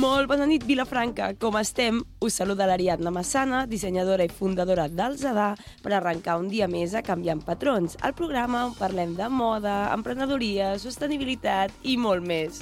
Molt bona nit, Vilafranca. Com estem? Us saluda l'Ariadna Massana, dissenyadora i fundadora del Zadà, per arrencar un dia més a Canviant Patrons, el programa on parlem de moda, emprenedoria, sostenibilitat i molt més.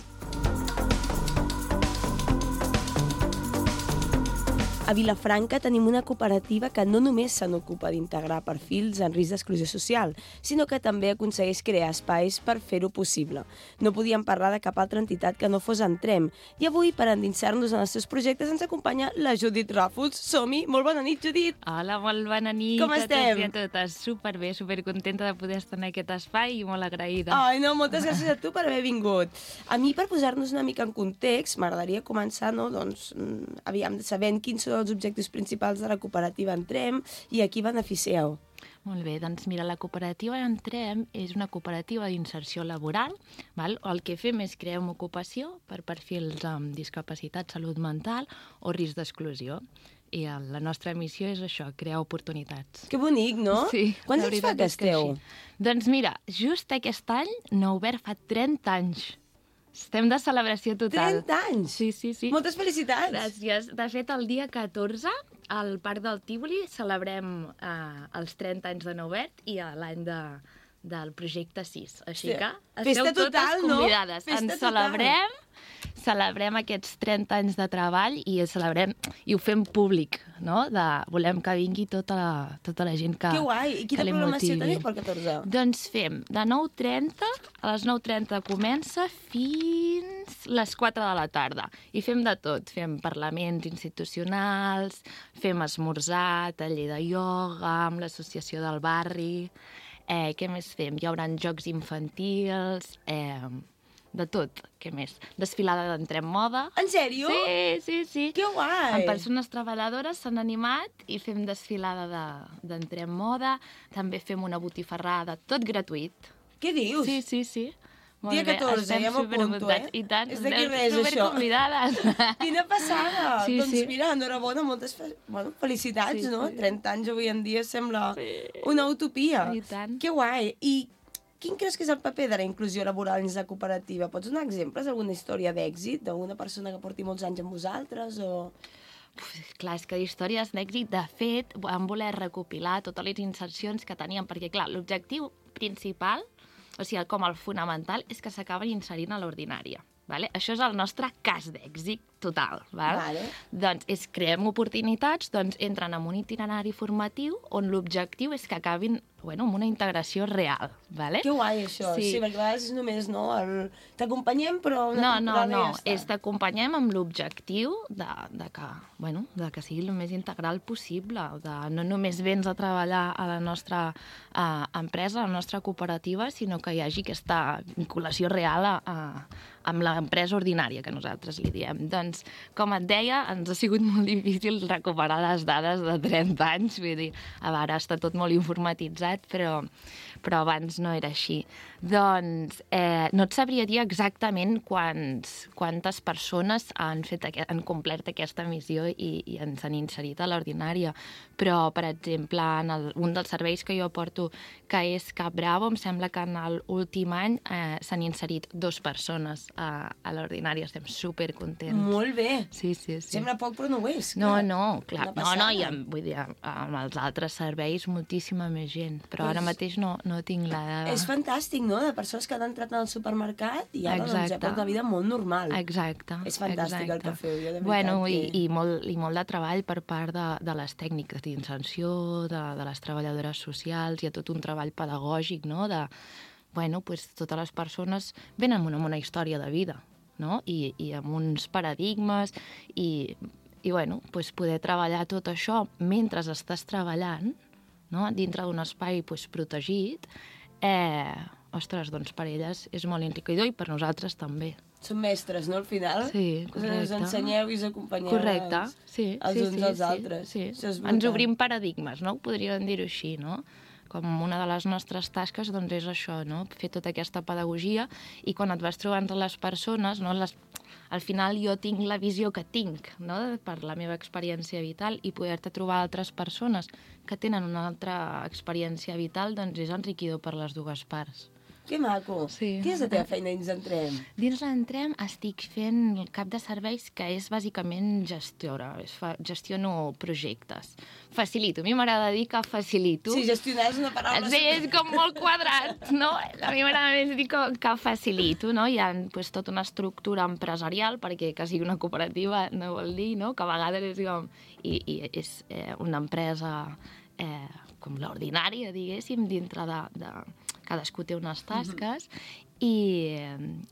A Vilafranca tenim una cooperativa que no només se n'ocupa d'integrar perfils en risc d'exclusió social, sinó que també aconsegueix crear espais per fer-ho possible. No podíem parlar de cap altra entitat que no fos Entrem. I avui, per endinsar-nos en els seus projectes, ens acompanya la Judit Ràfols. Som-hi! Molt bona nit, Judit! Hola, molt bona nit. Com estem? A totes. Superbé, supercontenta de poder estar en aquest espai i molt agraïda. Ai, no, moltes gràcies a tu per haver vingut. A mi, per posar-nos una mica en context, m'agradaria començar, no, doncs, sabent quins són els objectius principals de la cooperativa Entrem i a qui beneficieu. Molt bé, doncs mira, la cooperativa Entrem és una cooperativa d'inserció laboral, val? El que fem és crear una ocupació per perfils amb discapacitat, salut mental o risc d'exclusió. I la nostra missió és això, crear oportunitats. Que bonic, no? Sí. Quants anys fa que esteu? Doncs mira, just aquest any n'ha obert fa 30 anys. Estem de celebració total. 30 anys? Sí. Moltes felicitats. Gràcies. De fet, el dia 14, al Parc del Tívoli, celebrem els 30 anys de nou obert i l'any del projecte 6. Així que esteu totes convidades. Festa Ens celebrem aquests 30 anys de treball i ho fem públic, no? Volem que vingui tota la gent que li motivi. Que guai! I quina programació teniu pel 14? Doncs fem de 9:30, a les 9:30 comença fins les 4 de la tarda. I fem de tot. Fem parlaments institucionals, fem esmorzar, taller de ioga, amb l'associació del barri. Què més fem? Hi haurà jocs infantils, de tot. Què més? Desfilada d'Entrem Moda. En sèrio? Sí. Que guai! Amb persones treballadores s'han animat i fem desfilada d'Entrem Moda. També fem una botifarrada, tot gratuït. Què dius? Sí. Molt Dia 14, ja m'apunto, I tant, és d'aquí res, això. Superconvidades. Quina passada! Sí. Doncs mira, enhorabona, moltes felicitats, no? 30 anys avui en dia sembla una utopia. I tant. Que guai! I quin creus que és el paper de la inclusió laboral dins la cooperativa? Pots donar exemples d'alguna història d'èxit, d'alguna persona que porti molts anys amb vosaltres, o... Clar, és que d'històries d'èxit, de fet, vam voler recopilar totes les insercions que teníem, perquè, clar, l'objectiu principal, o sigui, com el fonamental, és que s'acaben inserint a l'ordinària. Vale? Això és el nostre cas d'èxit total. Vale. Doncs creem oportunitats, doncs entren en un itinerari formatiu on l'objectiu és que acabin amb una integració real. Vale? Que guai, això. Sí, perquè a vegades és només, no, t'acompanyem, però una temporada no, ja està. és t'acompanyem amb l'objectiu de que sigui el més integral possible, de no només vens a treballar a la nostra empresa, a la nostra cooperativa, sinó que hi hagi aquesta vinculació real amb l'empresa ordinària, que nosaltres li diem. Doncs, com et deia, ens ha sigut molt difícil recuperar les dades de 30 anys, vull dir, ara està tot molt informatitzat, però abans no era així. Doncs no et sabria dir exactament quantes persones han complert aquesta missió i ens han inserit a l'ordinària, però, per exemple, en un dels serveis que jo porto, que és Cap Bravo, em sembla que en l'últim any s'han inserit 2 persones a l'ordinària. Estem supercontents. Molt bé. Sí. Sembla poc, però no ho és. No, clar. I vull dir, amb els altres serveis moltíssima més gent, però ara mateix no tinc la dada. És fantàstic, no?, de persones que han entrat al supermercat i ara doncs ja porten una vida molt normal. Exacte. És fantàstic el que feu, jo de veritat. Bueno, i molt de treball per part de les tècniques d'inserció, de les treballadores socials, hi ha tot un treball pedagògic, no?, totes les persones venen amb una història de vida, no?, i amb uns paradigmes, i poder treballar tot això mentre estàs treballant, no?, dintre d'un espai protegit, doncs per elles és molt enriquidor i per nosaltres també. Són mestres, no, al final? Sí, correcte. Us ensenyeu i us acompanyeu els uns als altres. Sí. Ens obrim paradigmes, no? Podríem dir-ho així, no? Com una de les nostres tasques doncs és això, no? Fer tota aquesta pedagogia, i quan et vas trobant entre les persones, no? Al final jo tinc la visió que tinc, no?, per la meva experiència vital, i poder-te trobar altres persones que tenen una altra experiència vital doncs és enriquidor per les dues parts. Que maco. Sí. Què és la teva feina dins Entrem? Dins l'Entrem estic fent el cap de serveis, que és bàsicament gestora. Gestiono projectes. Facilito. A mi m'agrada dir que facilito. Sí, gestionar és una paraula... Sí, és com molt quadrat, no? A mi m'agrada més dir que facilito, no? Hi ha pues, tota una estructura empresarial, perquè que sigui una cooperativa no vol dir, no? Que a vegades és com... I és una empresa com l'ordinària, diguéssim, dintre de cadascú té unes tasques i,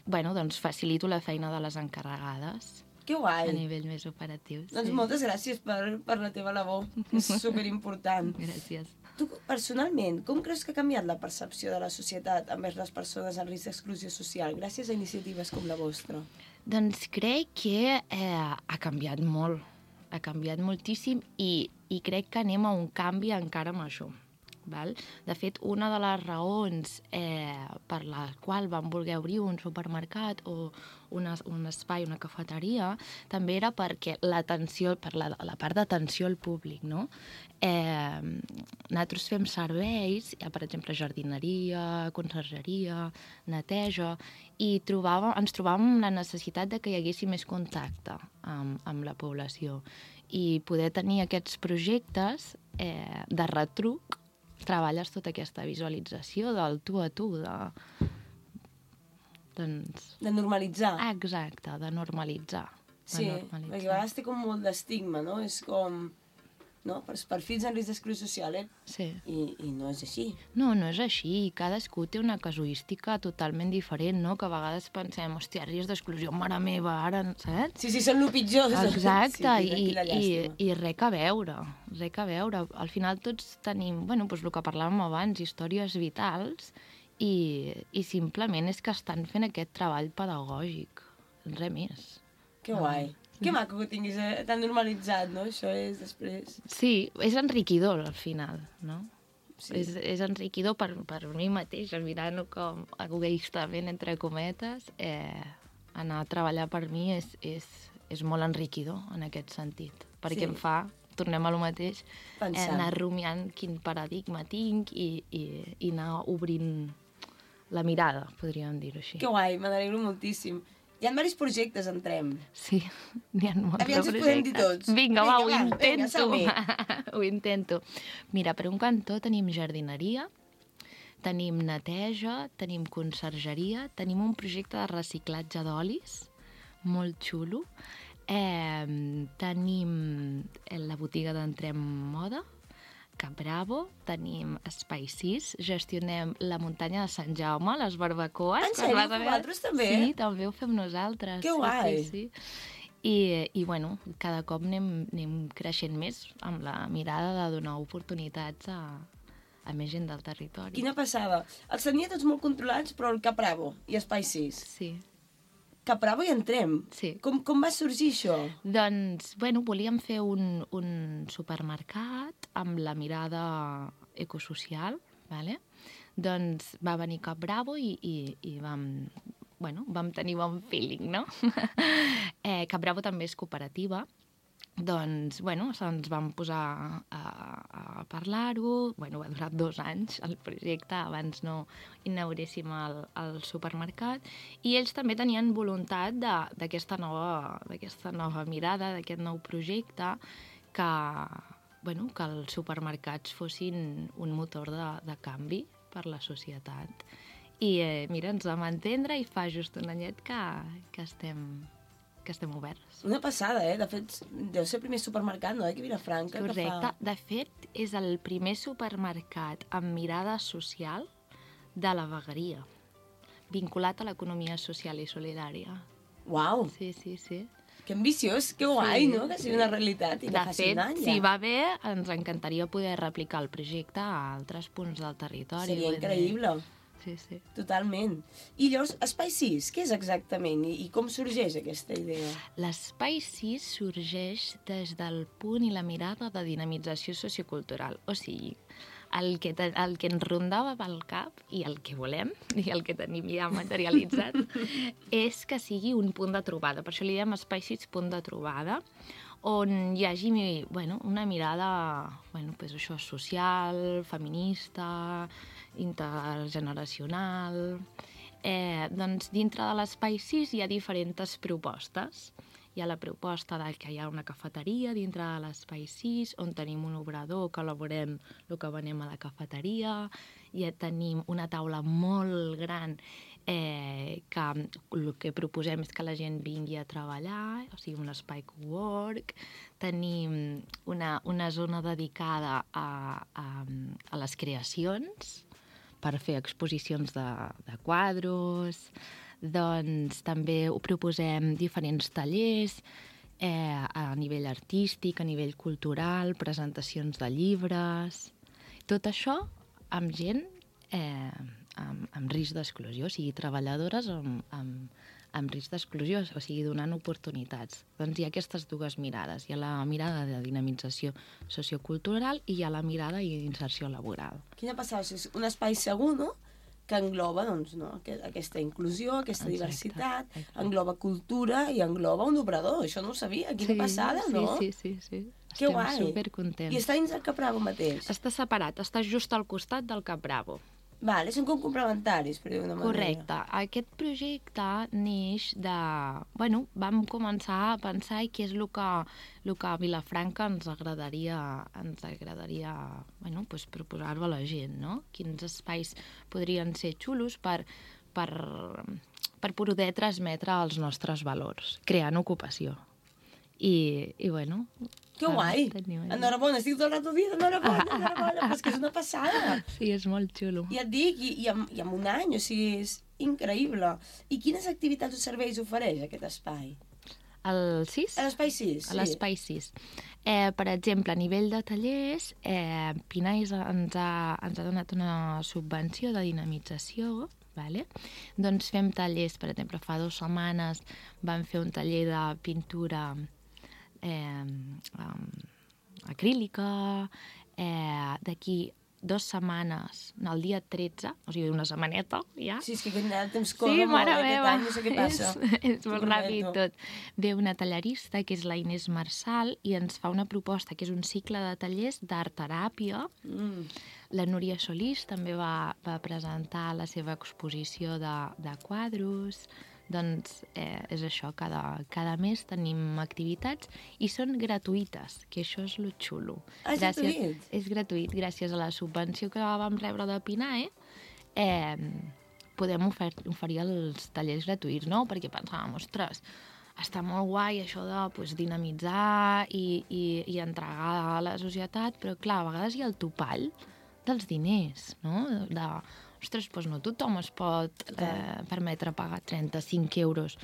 bueno, doncs facilito la feina de les encarregades. Que guai. A nivell més operatiu. Doncs moltes gràcies per la teva labor, que és superimportant. Gràcies. Tu, personalment, com creus que ha canviat la percepció de la societat envers les persones en risc d'exclusió social gràcies a iniciatives com la vostra? Doncs crec que ha canviat molt. Ha canviat moltíssim i crec que anem a un canvi encara major. Val? De fet, una de les raons per la qual vam voler obrir un supermercat o un espai, una cafeteria, també era perquè l'atenció, per la part d'atenció al públic, no? Nosaltres fem serveis, per exemple, jardineria, consergeria, neteja, i ens trobàvem la necessitat de que hi hagués més contacte amb la població i poder tenir aquests projectes de retruc. Treballes tota aquesta visualització del tu a tu, de normalitzar. Exacte, de normalitzar. Sí, perquè a vegades té com molt d'estigma, no? És com... No? Per fills en risc d'exclusió social, Sí. I no és així. No, no és així. Cadascú té una casuística totalment diferent, no? Que a vegades pensem, hòstia, risc d'exclusió, mare meva, ara, saps? Sí, són el pitjor. Exacte, sí, i res a veure, res a veure. Al final tots tenim, bueno, doncs el que parlàvem abans, històries vitals, i simplement és que estan fent aquest treball pedagògic, res més. Que guai. Que maco que tinguis tan normalitzat, no? Això és després... Sí, és enriquidor al final, no? Sí. És enriquidor per mi mateix, mirant-ho com egoistament, entre cometes, anar a treballar per mi és molt enriquidor en aquest sentit, perquè em fa, tornem a lo mateix, anar rumiant quin paradigma tinc i anar obrint la mirada, podríem dir-ho així. Que guai, me n'alegro moltíssim. Hi ha diversos projectes, Entrem. Sí, n'hi ha molts projectes. Aviam si podem dir tots. Vinga, ho intento. Ho intento. Mira, per un cantó tenim jardineria, tenim neteja, tenim consergeria, tenim un projecte de reciclatge d'olis, molt xulo, tenim la botiga d'Entrem Moda, Cap Bravo, tenim Espai 6, gestionem la muntanya de Sant Jaume, les barbacoes. En sèrio, vosaltres també? Sí, també ho fem nosaltres. Que guai! Sí. I bueno, cada cop anem creixent més amb la mirada de donar oportunitats a més gent del territori. Quina passada. Els tenia tots molt controlats, però el Cap Bravo i Espai 6. Sí. Cap Bravo i Entrem. Sí. Com va sorgir això? Doncs, bueno, volíem fer un supermercat amb la mirada ecosocial, ¿vale? Doncs va venir Cap Bravo i vam tenir bon feeling, no? Cap Bravo també és cooperativa, doncs, se'ns vam posar a parlar-ho, va durar 2 anys el projecte, abans no inauguréssim el supermercat, i ells també tenien voluntat d'aquesta nova mirada, d'aquest nou projecte, que els supermercats fossin un motor de canvi per la societat. I mira, ens vam entendre i fa just un anyet que estem oberts. Una passada, De fet, deu ser el primer supermercat, no?, aquí a Vilafranca. Correcte. De fet, és el primer supermercat amb mirada social de la vegueria, vinculat a l'economia social i solidària. Uau! Sí. Que ambiciós, que guai, no?, que sigui una realitat i que faci un any. De fet, si va bé, ens encantaria poder replicar el projecte a altres punts del territori. Seria increïble. Sí. Totalment. I llavors, Espai 6, què és exactament i com sorgeix aquesta idea? L'Espai 6 sorgeix des del punt i la mirada de dinamització sociocultural. O sigui, el que ens rondava pel cap i el que volem, i el que tenim ja materialitzat, és que sigui un punt de trobada. Per això li diem Espai 6 punt de trobada, on hi hagi una mirada això, social, feminista, intergeneracional. Doncs dintre de l'Espai 6 hi ha diferents propostes. Hi ha la proposta que hi ha una cafeteria dintre de l'Espai 6, on tenim un obrador que elaborem el que venem a la cafeteria, ja tenim una taula molt gran que el que proposem és que la gent vingui a treballar, o sigui, un espai cowork. Tenim una zona dedicada a les creacions, per fer exposicions de quadros. Doncs també ho proposem diferents tallers a nivell artístic, a nivell cultural, presentacions de llibres. Tot això amb gent amb risc d'exclusió, o sigui, treballadores amb risc d'exclusió, o sigui, donant oportunitats. Doncs hi ha aquestes dues mirades. Hi ha la mirada de dinamització sociocultural i hi ha la mirada d'inserció laboral. Quina passada, és un espai segur, no?, que engloba aquesta inclusió, aquesta diversitat, engloba cultura i engloba un obrador. Això no ho sabia, quina passada, no? Sí. Que guai. Estem supercontents. I està dins del Cap Bravo mateix? Està separat, està just al costat del Cap Bravo. Vale, són com complementaris, per dir-ho d'una manera. Correcte. Aquest projecte neix de... vam començar a pensar què és el que a Vilafranca ens agradaria proposar-ho a la gent, no? Quins espais podrien ser xulos per poder transmetre els nostres valors, creant ocupació. I que guai! Enhorabona, estic tot el rato dient enhorabona, però és que és una passada. Sí, és molt xulo. Ja et dic, i en un any, o sigui, és increïble. I quines activitats o serveis ofereix aquest espai? El 6? A l'Espai 6, sí. A l'Espai 6. Per exemple, a nivell de tallers, Pinais ens ha donat una subvenció de dinamització, vale? Doncs fem tallers, per exemple, fa 2 setmanes vam fer un taller de pintura acrílica, d'aquí 2 setmanes, el dia 13, o sigui, una setmaneta, ja. Sí, és que el temps corre molt, aquest any, no sé què passa. És molt ràpid tot. Ve una tallerista, que és la Inés Marçal, i ens fa una proposta, que és un cicle de tallers d'art-teràpia. La Núria Solís també va presentar la seva exposició de quadros. Doncs és això, cada mes tenim activitats i són gratuïtes, que això és lo xulo. És gratuït? És gratuït, gràcies a la subvenció que vam rebre de PINAE, podem oferir els tallers gratuïts, no? Perquè pensàvem, ostres, està molt guai això de dinamitzar i entregar a la societat, però clar, a vegades hi ha el topall dels diners, no? Ostres, doncs no tothom es pot permetre pagar 35 euros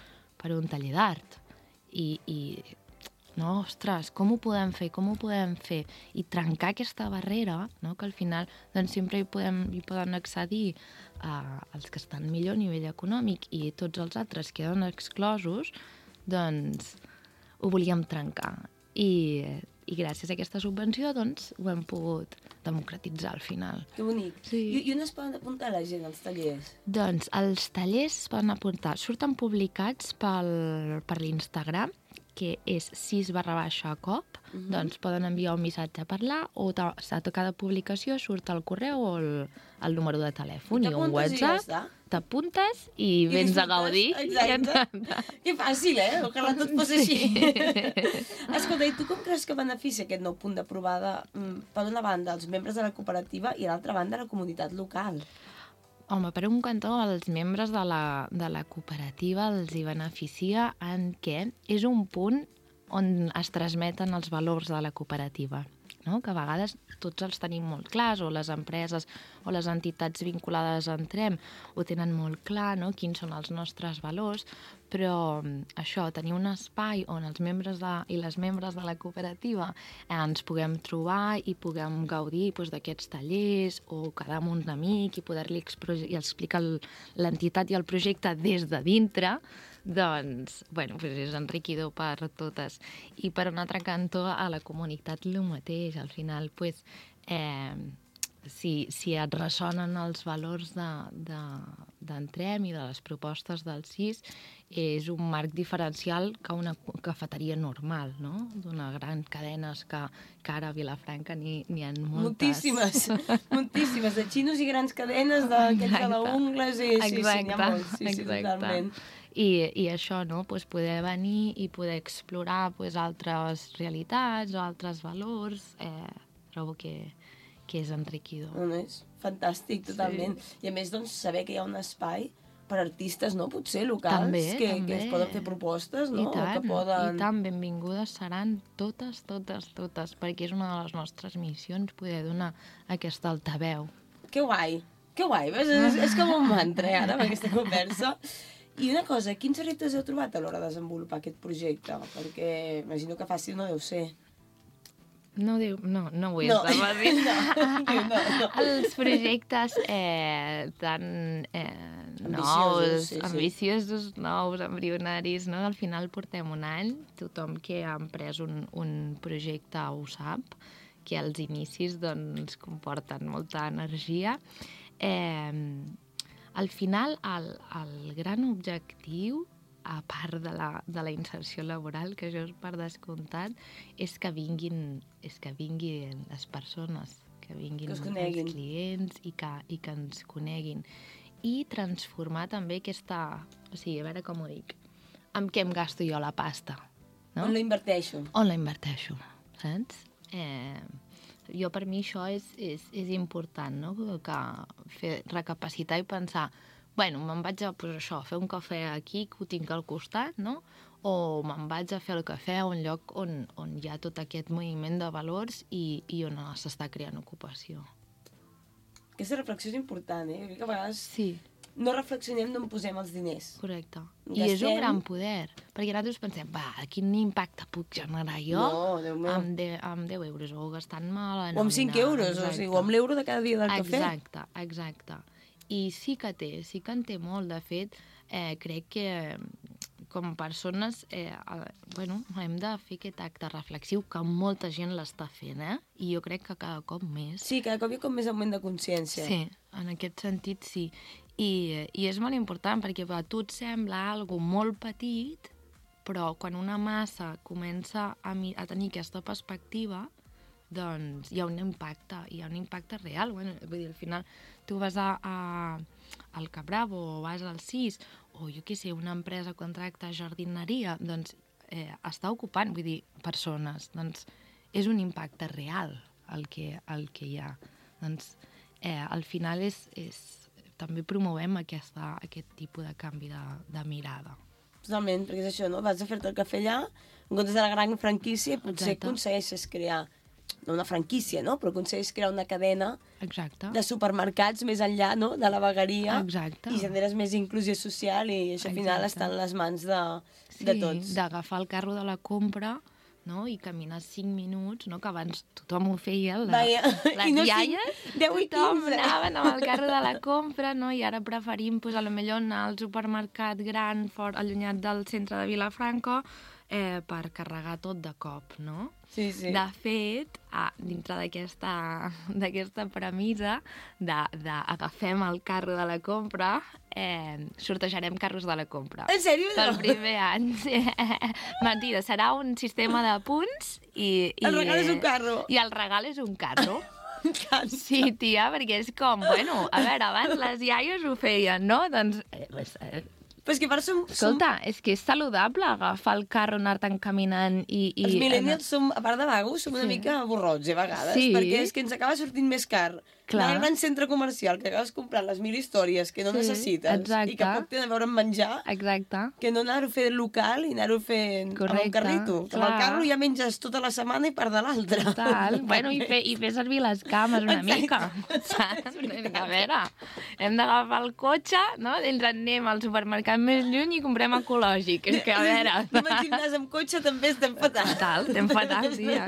per un taller d'art. No, ostres, com ho podem fer? I trencar aquesta barrera, no? Que al final sempre hi poden accedir els que estan millor a nivell econòmic i tots els altres queden exclosos, doncs ho volíem trencar. I gràcies a aquesta subvenció doncs, ho hem pogut democratitzar al final. Que bonic. Sí. I on es poden apuntar la gent als tallers? Doncs els tallers es poden apuntar, surten publicats per l'Instagram, que és 6/COP, doncs poden enviar un missatge a parlar o a cada publicació surt el correu o el número de telèfon i un WhatsApp. T'apuntes i vens a gaudir. Exacte. Que fàcil, Ojalà tot fos així. Escolta, i tu com creus que beneficia aquest nou punt de trobada, per una banda, els membres de la cooperativa i, a l'altra banda, la comunitat local? Home, per un cantó, els membres de la cooperativa els hi beneficia en què és un punt on es transmeten els valors de la cooperativa, no? Que a vegades tots els tenim molt clars, o les empreses o les entitats vinculades a Entrem ho tenen molt clar, no? Quins són els nostres valors, però això, tenir un espai on els membres i les membres de la cooperativa ens puguem trobar i puguem gaudir d'aquests tallers o quedar amb un amic i poder-li explicar l'entitat i el projecte des de dintre, doncs, és enriquidor per totes. I per un altre cantó, a la comunitat el mateix. Al final, si et ressonen els valors d'Entrem i de les propostes del CIS és un marc diferencial que una cafeteria normal, no? D'una gran cadenes que ara a Vilafranca n'hi ha moltes. Moltíssimes, de xinos i grans cadenes, d'aquells de la Ungles, sí, n'hi ha molts, sí, totalment. I això, no? Poder venir i poder explorar altres realitats o altres valors, trobo que és enriquidor. És fantàstic, totalment. I a més, doncs, saber que hi ha un espai per artistes, no? Potser locals, que es poden fer propostes, no? I tant, benvingudes seran totes, perquè és una de les nostres missions poder donar aquesta altaveu. Que guai, és com un mantra, ara, amb aquesta conversa. I una cosa, quins reptes heu trobat a l'hora de desenvolupar aquest projecte? Perquè imagino que fàcil no deu ser. No ho és de fàcil. No. Els projectes tan nous, ambiciosos, nous, embrionaris, no? Al final portem un any, tothom que ha emprès un projecte ho sap, que els inicis doncs, comporten molta energia. Al final, el gran objectiu, a part de la inserció laboral, que això és per descomptat, és que vinguin les persones, que vinguin els clients i que ens coneguin. I transformar també aquesta... O sigui, a veure com ho dic. Amb què em gasto jo la pasta? No? On la inverteixo? On la inverteixo, saps? Jo, per mi, això és important, no? Que recapacitar i pensar... Bueno, me'n vaig a fer un cafè aquí, que ho tinc al costat, no? O me'n vaig a fer el cafè a un lloc on hi ha tot aquest moviment de valors i on s'està creant ocupació. Aquesta reflexió és important, que a vegades no reflexionem d'on posem els diners. Correcte. I és un gran poder, perquè nosaltres pensem, quin impacte puc generar jo amb 10 euros, o gastant-me la nòmina. O amb 5 euros, o amb l'euro de cada dia del cafè. Exacte. I sí que en té molt. De fet, crec que com a persones hem de fer aquest acte reflexiu que molta gent l'està fent, i jo crec que cada cop més. Sí, cada cop hi ha com més augment de consciència. Sí, en aquest sentit sí. I és molt important perquè a tu et sembla algo molt petit, però quan una massa comença a tenir aquesta perspectiva, doncs hi ha un impacte real. Vull dir, al final tu vas al Capravo o vas al CIS o jo què sé, una empresa contracta jardineria, doncs està ocupant, vull dir, persones. Doncs és un impacte real el que hi ha. Doncs al final també promovem aquest tipus de canvi de mirada. Totalment, perquè és això, no? Vas a fer-te el cafè allà, en comptes de la gran franquícia, potser aconsegueixes crear no una franquícia, no? Però aconsegueix crear una cadena de supermercats més enllà, no? De la vegueria. Exacte. I generes més inclusió social i això al final està en les mans de tots. Sí, d'agafar el carro de la compra, no? I caminar 5 minuts, no? Que abans tothom ho feia, les iaies, tothom anaven amb el carro de la compra, no? I ara preferim, potser anar al supermercat gran, fort, allunyat del centre de Vilafranca, per carregar tot de cop, no? Sí. De fet, dintre d'aquesta premissa d'agafem el carro de la compra, sortejarem carros de la compra. En sèrio? Pel primer any. Mentida, serà un sistema de punts i... El regal és un carro. I el regal és un carro. Sí, tia, perquè és com, a veure, abans les iaies ho feien, no? Doncs... Però és que per Escolta, és que és saludable agafar el carro, anar-te'n caminant i... Els millennials, a part de vagos, som una mica borrots, a vegades, perquè és que ens acaba sortint més car anar al gran centre comercial, que acabes comprant les 1000 històries que no necessites i que poc tenen a veure amb menjar, que no anar-ho fent local i anar-ho fent amb un carrito. Que amb el carro ja menges tota la setmana i part de l'altra. Total. I fer servir les cames una mica. Saps? A veure, hem d'agafar el cotxe, no? Ens anem al supermercat més lluny i comprem ecològic. És que, a veure... Anem al gimnàs amb cotxe també estem fatal. Estem fatal, tia.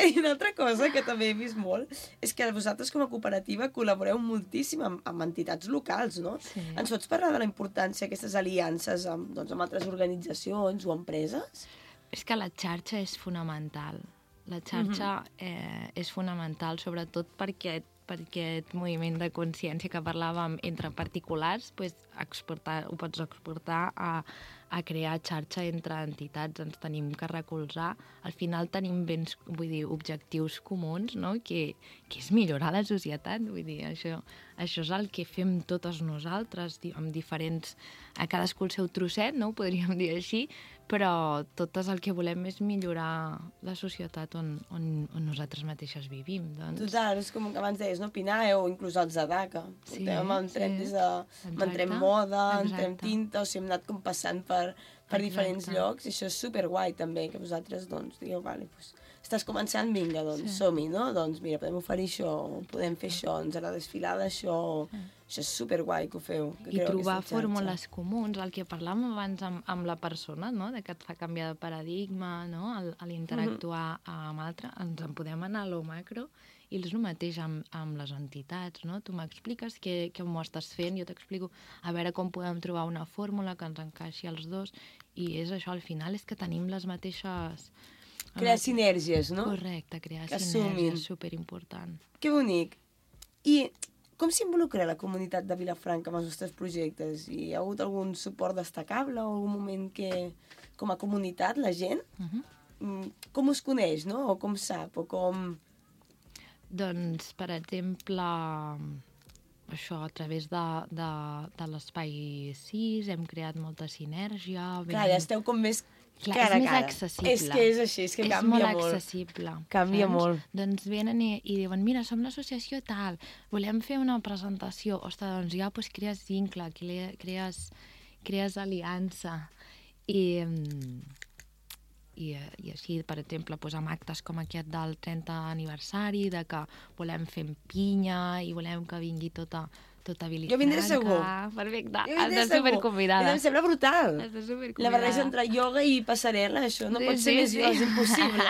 I una altra cosa que també he vist molt és que vosaltres com a cooperativa col·laboreu moltíssim amb entitats locals, no? Sí. Ens pots parlar de la importància d'aquestes aliances amb altres organitzacions o empreses? És que la xarxa és fonamental. La xarxa és fonamental, sobretot per aquest moviment de consciència que parlàvem entre particulars, doncs ho pots exportar a crear xarxa entre entitats, ens tenim que recolzar. Al final tenim objectius comuns, no? que és millorar la societat. Vull dir, això és el que fem totes nosaltres, amb diferents... A cadascú el seu trosset, no? Ho podríem dir així, però totes el que volem és millorar la societat on nosaltres mateixes vivim. Doncs. Total, és com que abans deies, no? PNAE o inclús el Zadaka. Sí, entrem des de... Entrem moda, entrem tinta, o sigui, hem anat com passant per diferents llocs, i això és superguai també, que vosaltres, doncs, digueu, vale, doncs, estàs començant, vinga, doncs, som-hi, no? Doncs, mira, podem oferir això, podem fer això, ens agrada desfilar d'això, això és superguai que ho feu. I trobar fórmules comuns, el que parlàvem abans amb la persona, no? De que et fa canviar de paradigma, no? A l'interactuar amb altre, ens en podem anar a lo macro, i és el mateix amb les entitats, no? Tu m'expliques què m'ho estàs fent, jo t'explico a veure com podem trobar una fórmula que ens encaixi als dos, i és això, al final és que tenim les mateixes... Crear sinergies, no? Correcte, crear sinergies, superimportant. Que bonic. I com s'involucra la comunitat de Vilafranca amb els vostres projectes? Hi ha hagut algun suport destacable o algun moment que, com a comunitat, la gent, com us coneix, no? O com sap, o com... Doncs, per exemple, això, a través de l'Espai 6 hem creat molta sinergia. Clar, ja esteu com més cara a cara. És més accessible. És que és així, és que canvia molt. És molt accessible. Canvia molt. Doncs venen i diuen, mira, som l'associació tal, volem fer una presentació. Ostres, doncs ja crees vincle, crees aliança. I així, per exemple, amb actes com aquest del 30 aniversari, de que volem fer pinya i volem que vingui tota Vilafranca. Jo vindré segur. Perfecte. Estàs superconvidada. Em sembla brutal. Estàs superconvidada. La barreja entre ioga i passarel·la, això no pot ser més és impossible.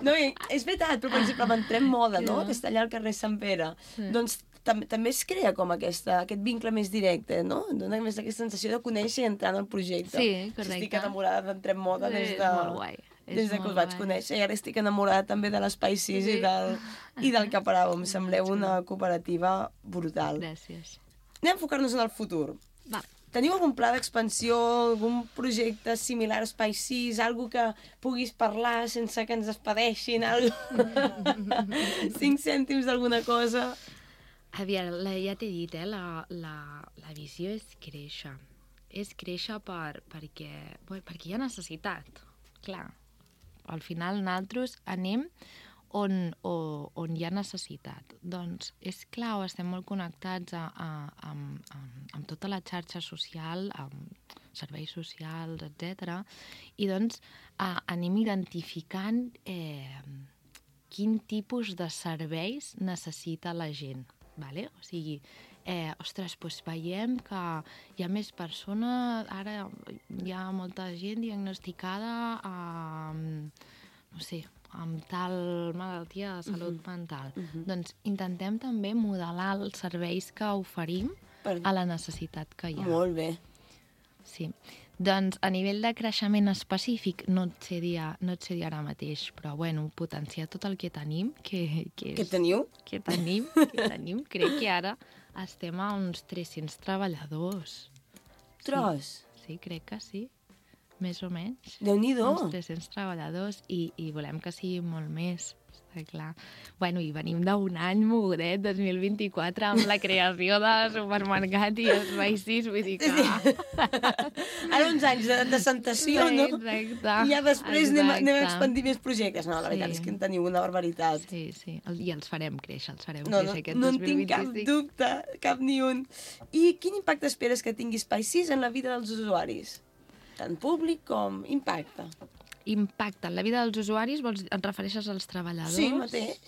No, és veritat, però per exemple, amb Entrem Moda, no? Que està allà al carrer Sant Pere. Doncs també es crea com aquest vincle més directe, no? Dona més aquesta sensació de conèixer i entrar en el projecte. Sí, correcte. Estic enamorada d'Entrem Moda des que us vaig conèixer, i ara estic enamorada també de l'Espai 6 i del Caparau. Em sembleu una cooperativa brutal. Gràcies. Anem a enfocar-nos en el futur. Va. Teniu algun pla d'expansió, algun projecte similar a Espai 6, algo que puguis parlar sense que ens despedeixin, 5 cèntims d'alguna cosa? Aviam, ja t'he dit, la visió és créixer. És créixer perquè hi ha necessitat, clar. Al final nosaltres anem on hi ha necessitat. Doncs és clau, estem molt connectats amb tota la xarxa social, amb serveis socials, etc. I doncs anem identificant quin tipus de serveis necessita la gent. Vale? O sigui, ostres, doncs veiem que hi ha més persones, ara hi ha molta gent diagnosticada no sé, amb tal malaltia de salut mental. Doncs intentem també modelar els serveis que oferim a la necessitat que hi ha. Molt bé. Sí. Doncs a nivell de creixement específic no et sé dir ara mateix, però bueno, potenciar tot el que tenim, que teniu? Que tenim, crec que ara estem a uns 300 treballadors. Tros? Sí, crec que sí, més o menys. Déu-n'hi-do. Uns 300 treballadors i volem que sigui molt més. Clar. Bueno, i venim d'un any mogudet, 2024, amb la creació de supermercat i Espai 6, vull dir que... Ara uns anys de sentació, no? Exacte. I ja després anem a expandir més projectes. No, la veritat és que en teniu una barbaritat. Sí, i els farem créixer, aquest 2025. No en tinc cap dubte, cap ni un. I quin impacte esperes que tingui Espai 6 en la vida dels usuaris? Tant públic com impacte. Impacte en la vida dels usuaris, et refereixes als treballadors? Sí, mateix.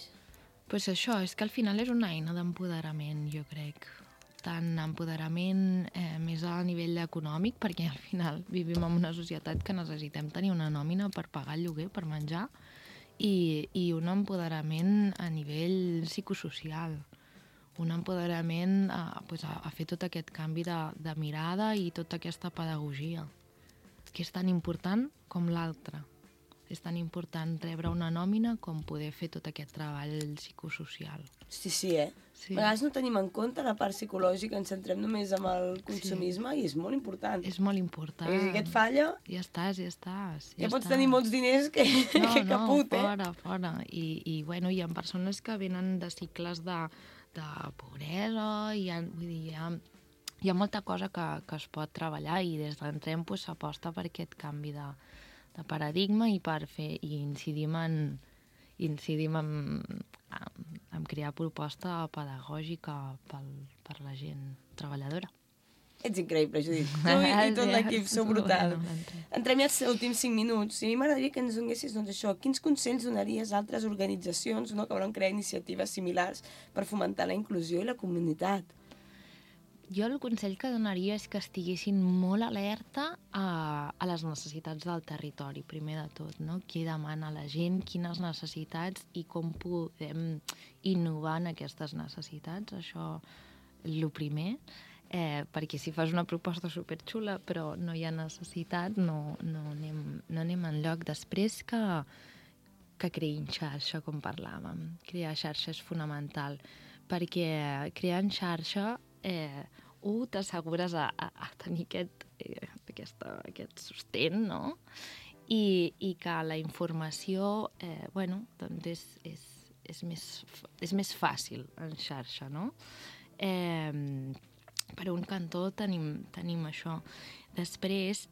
Doncs això, és que al final és una eina d'empoderament, jo crec. Tant empoderament més a nivell econòmic, perquè al final vivim en una societat que necessitem tenir una nòmina per pagar el lloguer, per menjar, i un empoderament a nivell psicosocial. Un empoderament a fer tot aquest canvi de mirada i tota aquesta pedagogia, que és tan important com l'altre. És tan important rebre una nòmina com poder fer tot aquest treball psicosocial. Sí, a vegades no tenim en compte la part psicològica, ens centrem només en el consumisme i és molt important. És molt important. I si aquest falla... Ja estàs. Ja pots tenir molts diners que caput, fora. I hi ha persones que venen de cicles de pobresa, i hi ha molta cosa que es pot treballar, i des d'Entrem s'aposta per aquest canvi de paradigma i per incidim en crear proposta pedagògica per la gent treballadora. Ets increïble, Judit. Tu i tot l'equip sou brutal. Entrem ja als últims 5 minuts. I a mi m'agradaria que ens donessis això. Quins consells donaries a altres organitzacions que volen crear iniciatives similars per fomentar la inclusió i la comunitat? Jo el consell que donaria és que estiguessin molt alerta a les necessitats del territori, primer de tot, no? Qui demana a la gent, quines necessitats i com podem innovar en aquestes necessitats. Això és el primer, perquè si fas una proposta superxula però no hi ha necessitat, no anem enlloc. Després que creïn xarxa, com parlàvem. Crear xarxa és fonamental, perquè creant xarxa t'assegures a tenir aquest sostén, no? I que la informació és més fàcil en xarxa, no? Per un cantó tenim això. Després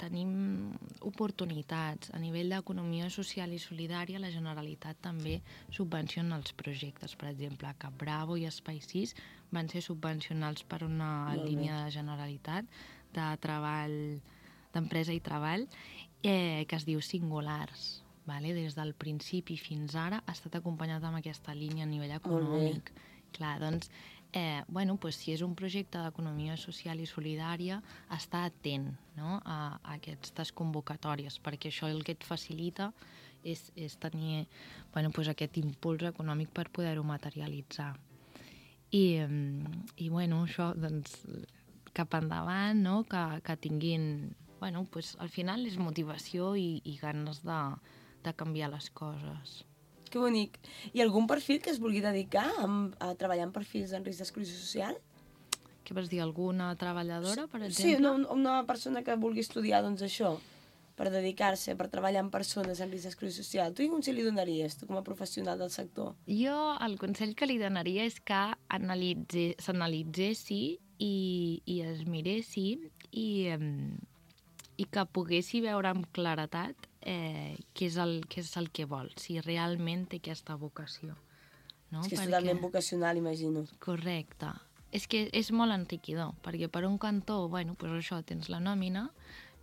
tenim oportunitats. A nivell d'economia social i solidària, la Generalitat també subvenciona els projectes. Per exemple, Cap Bravo i Espai 6 van ser subvencionats per una línia de Generalitat de treball, d'empresa i treball, que es diu Singulars. Des del principi fins ara ha estat acompanyat amb aquesta línia a nivell econòmic. Clar, doncs, si és un projecte d'economia social i solidària, estar atent, no?, a aquestes convocatòries, perquè això el que et facilita és tenir aquest impuls econòmic per poder-ho materialitzar. I això, doncs, cap endavant, no?, que tinguin... al final és motivació i ganes de canviar les coses. Que bonic. I algun perfil que es vulgui dedicar a treballar en perfils en risc d'exclusió social? Què vols dir, alguna treballadora, per exemple? Sí, una persona que vulgui estudiar, això, per dedicar-se, per treballar amb persones en risc d'exclusió social. Tu quin consell li donaries, tu com a professional del sector? Jo el consell que li donaria és que s'analitzessi i es miressi i que poguessi veure amb claretat què és el que vol, si realment té aquesta vocació. No? És que és totalment vocacional, imagino. Correcte. És que és molt enriquidor, perquè per un cantó, això, tens la nòmina,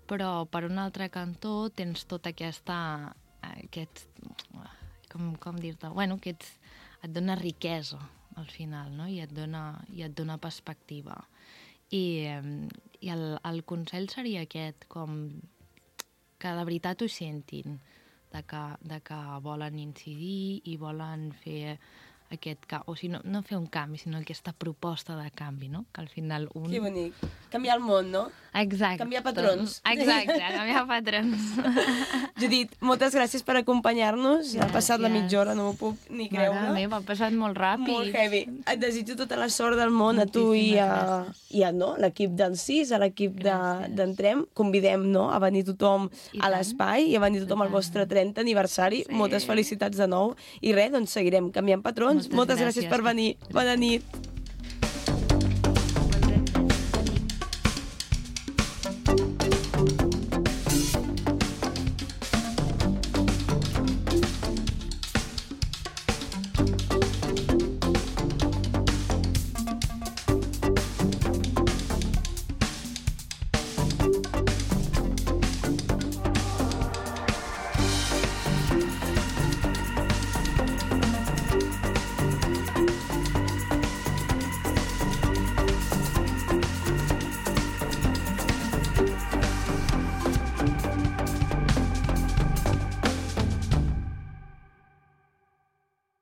però per un altre cantó tens tota com dir-te, que et dona riquesa al final, no? I et dona perspectiva. I el consell seria aquest, com que de veritat ho sentin, de que volen incidir i volen fer aquest canvi, o sigui, no fer un canvi, sinó aquesta proposta de canvi, no? Que al final Que bonic. Canviar el món, no? Exacte. Canviar patrons. Exacte, canviar patrons. Judit, moltes gràcies per acompanyar-nos. Ha passat la mitja hora, no m'ho puc ni creure. Mare meva, ha passat molt ràpid. Molt heavy. Et desitjo tota la sort del món a tu i a l'equip del CIS, a l'equip d'Entrem. Convidem a venir tothom a l'espai i a venir tothom al vostre 30 aniversari. Moltes felicitats de nou. I res, doncs seguirem canviant patrons. Moltes gràcies per venir. Bona nit.